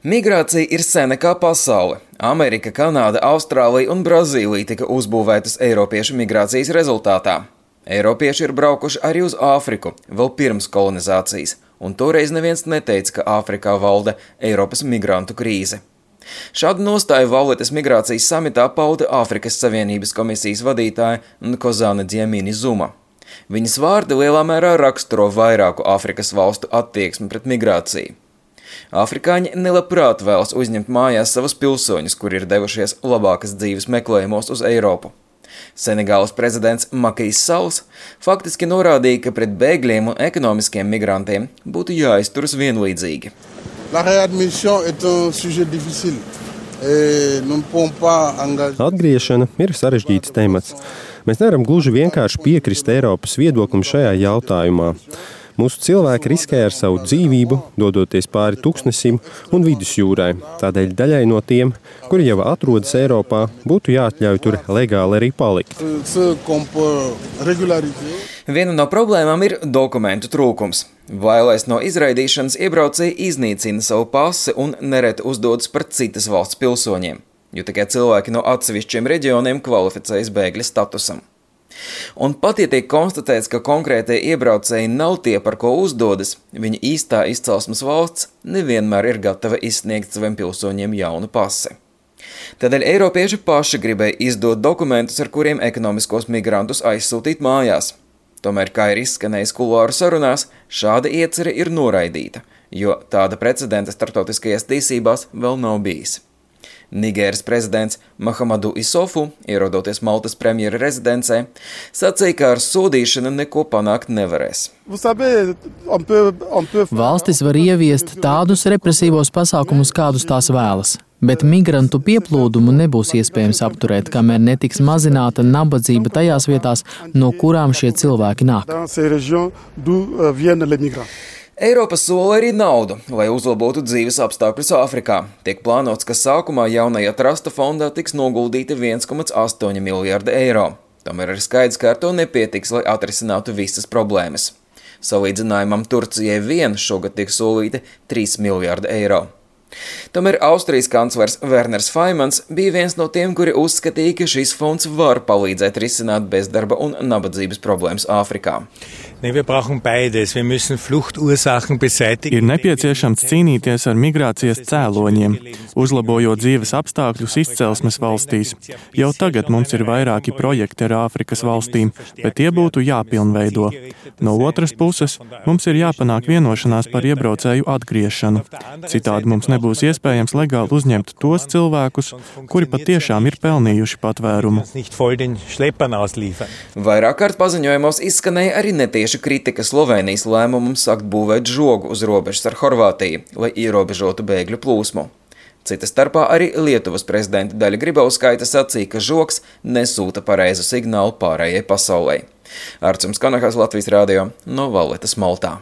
Migrācija ir sena kā pasaule. Amerika, Kanāda, Austrālija un Brazīlija tika uzbūvētas eiropiešu migrācijas rezultātā. Eiropieši ir braukuši arī uz Āfriku, vēl pirms kolonizācijas, un toreiz neviens neteica, ka Āfrikā valda Eiropas migrantu krīze. Šādu nostāju Valletas migrācijas samitā pauda Āfrikas Savienības komisijas vadītāja Nkozane Dlamini Zuma. Viņas vārdi lielā mērā raksturo vairāku Āfrikas valstu attieksmi pret migrāciju. Afrikāņi nelabprāt vēlas uzņemt mājās savus pilsoņus, kuri ir devušies labākas dzīves meklējumos uz Eiropu. Senegālas prezidents Makijs Salls faktiski norādīja, ka pret bēgļiem un ekonomiskiem migrantiem būtu jāizturas vienlīdzīgi. Atgriešana ir sarežģīts temats. Mēs nevaram gluži vienkārši piekrist Eiropas viedoklim šajā jautājumā. Mūsu cilvēki riskē ar savu dzīvību, dodoties pāri Tuksnesim un Vidusjūrai. Tādēļ daļai no tiem, kuri jau atrodas Eiropā, būtu jāatļauj tur legāli arī palikt. Viena no problēmām ir dokumentu trūkums. Bailēs no izraidīšanas iebraucēji iznīcina savu pasi un nereti uzdodas par citas valsts pilsoņiem, jo tikai cilvēki no atsevišķiem reģioniem kvalificējas bēgļa statusam. Un pat, ja tiek konstatēts, ka konkrētie iebraucēji nav tie, par ko uzdodas, viņa īstā izcelsmes valsts nevienmēr ir gatava izsniegt saviem pilsoņiem jaunu pasi. Tādēļ eiropieši paši gribēja izdot dokumentus, ar kuriem ekonomiskos migrantus aizsūtīt mājās. Tomēr, kā ir izskanējis kuluāru sarunās, šāda iecerē ir noraidīta, jo tāda precedenta starptautiskajās tiesībās vēl nav bijis. Nigēras prezidents Mahamadu Isofu, ierodoties Maltas premjera rezidencē, sacīja, ka ar sodīšanu neko panākt nevarēs. Valstis var ieviest tādus represīvos pasākumus, kādus tās vēlas, bet migrantu pieplūdumu nebūs iespējams apturēt, kamēr netiks mazināta nabadzība tajās vietās, no kurām šie cilvēki nāk. Eiropa sola arī naudu, lai uzlabotu dzīves apstākļus Āfrikā. Tiek plānots, ka sākumā jaunajā trasta fondā tiks noguldīti 1,8 miljārdi eiro. Tomēr ir skaidrs, ka ar to nepietiks, lai atrisinātu visas problēmas. Salīdzinājumam Turcijai vien šogad tiek solīti 3 miljārdi eiro. Tomēr Austrijas kanclers Werners Faimans bija viens no tiem, kuri uzskatīja, ka šis fonds var palīdzēt risināt bezdarba un nabadzības problēmas Āfrikā. Ir nepieciešams cīnīties ar migrācijas cēloņiem, uzlabojot dzīves apstākļus izcelsmes valstīs. Jau tagad mums ir vairāki projekti ar Āfrikas valstīm, bet tie būtu jāpilnveido. No otras puses, mums ir jāpanāk vienošanās par iebraucēju atgriešanu. Citādi mums nebūs iespējams legāli uzņemt tos cilvēkus, kuri patiešām ir pelnījuši patvērumu. Vairāk kārt paziņojumos izskanēja arī netieši kritika Slovenijas lēmumam sākt būvēt žogu uz robežas ar Horvātiju, lai ierobežotu bēgļu plūsmu. Cita starpā arī Lietuvas prezidenta Daļa Grybauskaite sacīja, ka žogs nesūta pareizu signālu pārējai pasaulē. Arcums Kanahas, Latvijas radio, no Valletas, Maltā.